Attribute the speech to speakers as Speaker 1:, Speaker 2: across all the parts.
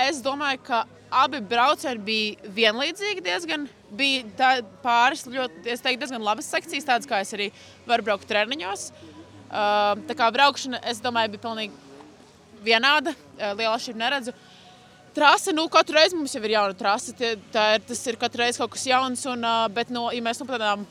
Speaker 1: es domāju, ka abi braucieni bija vienlīdzīgi diezgan. Bija pāris ļoti, es teiktu, diezgan labas sekcijas, tādas, kā es arī varu braukt treniņos. Tā kā braukšana, es domāju, bija pilnīgi vienāda, liela atšķirība neredzu. Trase, katru reizi mums jau ir jauna trase, tas ir katru reizi kaut kas jauns, bet ja mēs par tādām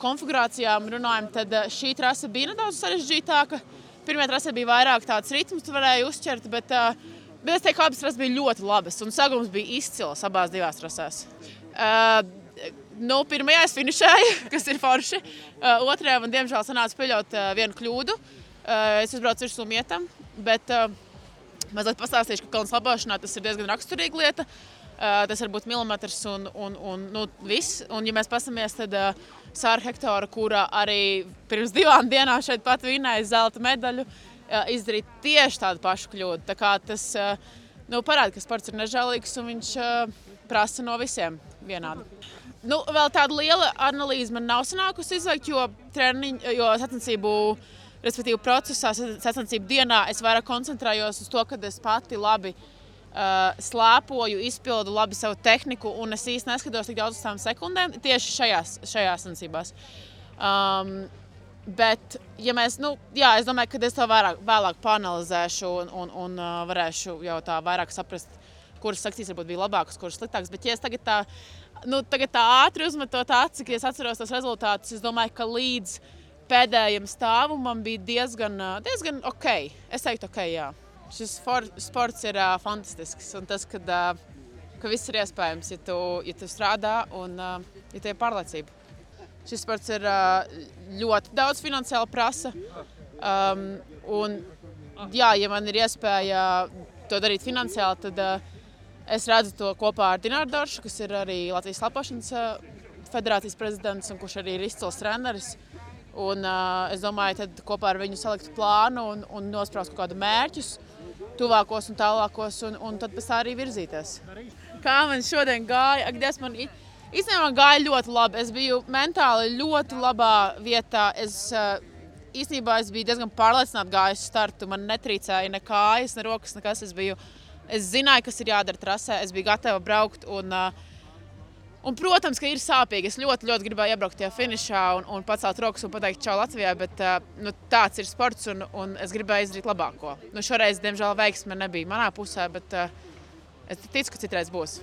Speaker 1: konfigurācijām runājam, tad šī trase bija nedaudz sarežģītāka. Pirmajā trasē bija vairāk tāds ritms, tu varēji uzķert, bet es teiktu, ka abas trases bija ļoti labas, un sagums bija izcils abās divās trasēs. Pirmajā es finišēju, kas ir forši. Otrajā man, diemžēl, sanāca pieļaut vienu kļūdu. Es uzbraucu virsū mietam, bet mazliet pastāstīšu, ka kalnu slabošanā tas ir diezgan raksturīga lieta. Tas var būt milimetrs un viss. Un, ja mēs pasamies, tad Sāra Hektora, kura arī pirms 2 dienām šeit pat vinnēja zelta medaļu, izdarīja tieši tādu pašu kļūdu. Tā kā tas parāda, ka sports ir nežēlīgs un viņš prasa no visiem vienādi. Vēl tāda liela analīze man nav sanākusi izveikt, jo sacensību, respektīvi procesā, sacensību dienā es vairāk koncentrējos uz to, kad es pati labi slēpoju, izpildu labi savu tehniku, un es īsti neskatos tik daudz uz tām sekundēm tieši šajās sacensībās. Bet, ja mēs, es domāju, ka es to vēlāk paanalizēšu un varēšu jau tā vairāk saprast, kuras sekcijas varbūt bija labākas, kuras sliktākas. Bet, ja es tagad tā ātri uzmetot aci, kad es atceros tos rezultātus, es domāju, ka līdz pēdējiem stāvumam bija diezgan ok. Es teiktu ok, jā. Šis sports ir fantastisks, un tas, ka viss ir iespējams, ja tu strādā un ja tev ir pārliecība. Šis sports ir ļoti daudz finansiāli prasa, un ja man ir iespēja to darīt finansiāli, tad es redzu to kopā ar Dināru Doršu, kas ir arī Latvijas slapošanas federācijas prezidents un kurš arī ir izcils treneris. Un es domāju, tad kopā ar viņu salikt plānu un nospraust kaut kādu mērķus, tuvākos un tālākos, un tad pēc tā arī virzīties. Kā man šodien gāja? Man īstenībā gāja ļoti labi. Es biju mentāli ļoti labā vietā. Īstenībā es biju diezgan pārliecināti gājusi startu. Man netrīcēja ne kājas, ne rokas, nekas. Es zināju, kas ir jādara trasē. Es biju gatava braukt. Un, protams, ka ir sāpīgi. Es ļoti, ļoti gribēju iebraukt tajā finišā un pacelt rokas un pateikt čau Latvijai, bet tāds ir sports un es gribēju izdarīt labāko. Šoreiz, diemžēl, veiksme nebija manā pusē, bet es ticu, ka citreiz būs.